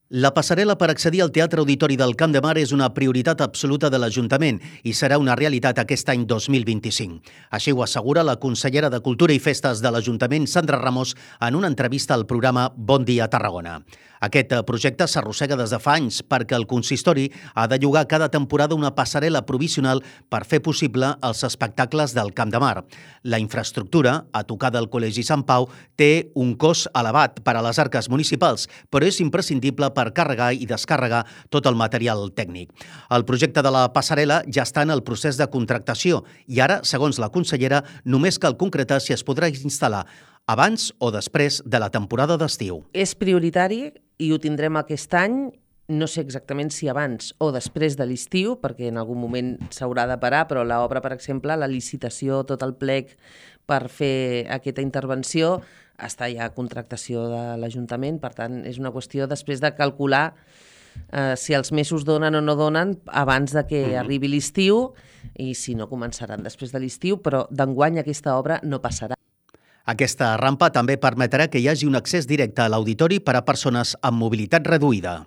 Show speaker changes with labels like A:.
A: La passarel·la per accedir al Teatre Auditori del Camp de Mar és una prioritat absoluta de l'Ajuntament i serà una realitat aquest any 2025. Així ho assegura la consellera de Cultura i Festes de l'Ajuntament, Sandra Ramos, en una entrevista al programa Bon Dia Tarragona. Aquest projecte s'arrossega des de fa anys perquè el consistori ha de llogar cada temporada una passarel·la provisional per fer possible els espectacles del Camp de Mar. La infraestructura, a tocar del Col·legi Sant Pau, té un cost elevat per a les arques municipals, però és imprescindible per carregar i descarregar tot el material tècnic. El projecte de la passarel·la ja està en el procés de contractació i ara, segons la consellera, només cal concretar si es podrà instal·lar abans o després de la temporada d'estiu.
B: És prioritari i ho tindrem aquest any, no sé exactament si abans o després de l'estiu, perquè en algun moment s'haurà de parar, però l'obra, per exemple, la licitació, tot el plec per fer aquesta intervenció, està ja a contractació de l'Ajuntament, per tant, és una qüestió després de calcular si els mesos donen o no donen abans de que arribi l'estiu i si no començaran després de l'estiu, però d'enguany aquesta obra no passarà.
A: Aquesta rampa també permetrà que hi hagi un accés directe a l'auditori per a persones amb mobilitat reduïda.